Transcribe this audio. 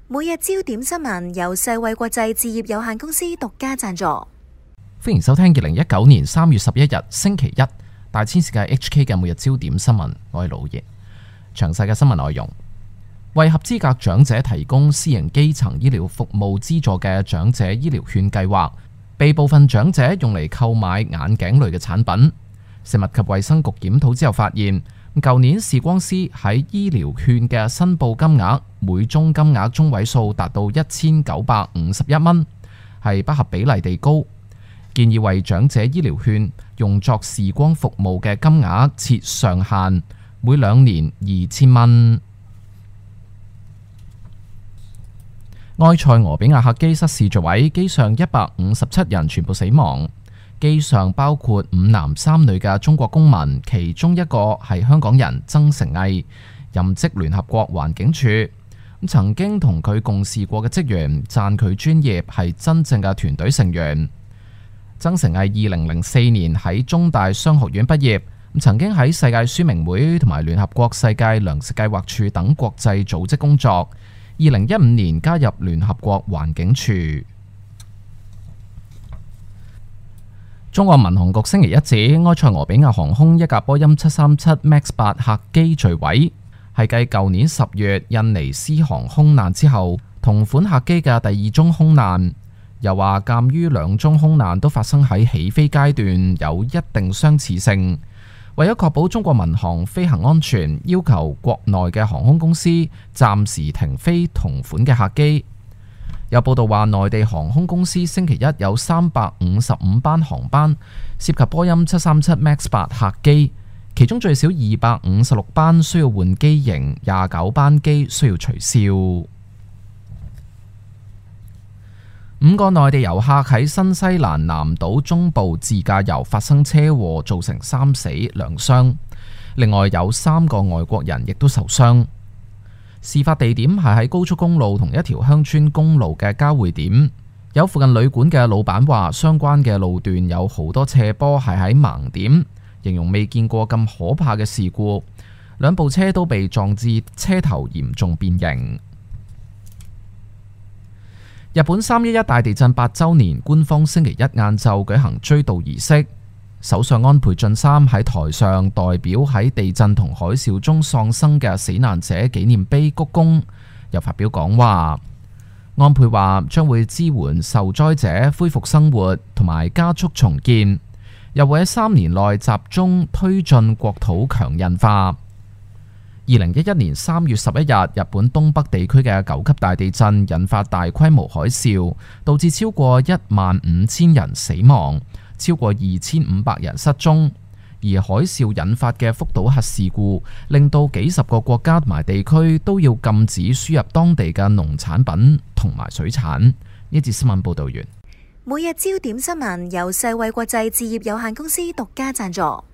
每日焦點新聞由世衛國際置業有限公司獨家贊助。歡迎收聽2019年3月11日星期一大千世界 HK 嘅每日焦點新聞，我係老爺。詳細嘅新聞內容，為合資格長者提供私營基層醫療服務資助嘅長者醫療券計劃，被部分長者用嚟購買眼鏡類嘅產品。食物及衛生局檢討之後發現，舊年視光師喺醫療券嘅申報金額，每宗金額中位數達到1951蚊，係不合比例地高。建議為長者醫療券用作視光服務嘅金額設上限，每2年2000蚊。埃塞俄比亞客機失事墜毀，機上157人全部死亡。機上包括5男3女嘅中國公民，其中一個係香港人曾成毅，任職聯合國環境署。曾經同佢共事過嘅職員讚佢專業，係真正嘅團隊成員。曾成毅2004年喺中大商學院畢業，曾經喺世界書明會同埋聯合國世界糧食計劃處等國際組織工作。2015年加入聯合國環境署。中國民航局星期一指，埃塞俄比亞航空一架波音737 MAX 8客機墜毀，係繼舊年10月印尼獅航空難之後，同款客機嘅第2宗空難。又話鑑於2宗空難都發生喺起飛階段，有一定相似性，為咗確保中國民航飛行安全，要求國內嘅航空公司暫時停飛同款嘅客機。有報道話，內地航空公司星期一有355班航班涉及波音737 MAX 8客機，其中最少256班需要換機型，29班機需要取消。5個內地遊客喺新西蘭南島中部自駕遊發生車禍，造成3死2傷，另外有3個外國人亦都受傷。事發地點係喺高速公路同一條鄉村公路嘅交匯點。有附近旅館嘅老闆話，相關嘅路段有好多斜坡係喺盲點，形容未見過咁可怕嘅事故。2部車都被撞至車頭嚴重變形。日本311大地震8週年，官方星期一晏晝舉行追悼儀式。首相安倍晉三喺台上代表喺地震同海嘯中喪生嘅死難者紀念碑鞠躬，又發表講話。安倍話將會支援受災者恢復生活同埋加速重建，又會喺3年內集中推進國土強韌化。2011年3月11日，日本東北地區嘅9級大地震引發大規模海嘯，導致超過15000人死亡，超過2500人失蹤。而海嘯引發嘅福島核事故，令到幾十個國家同埋地區都要禁止輸入當地嘅農產品同埋水產。呢節新聞報道完。每日焦點新聞由世衛國際置業有限公司獨家贊助。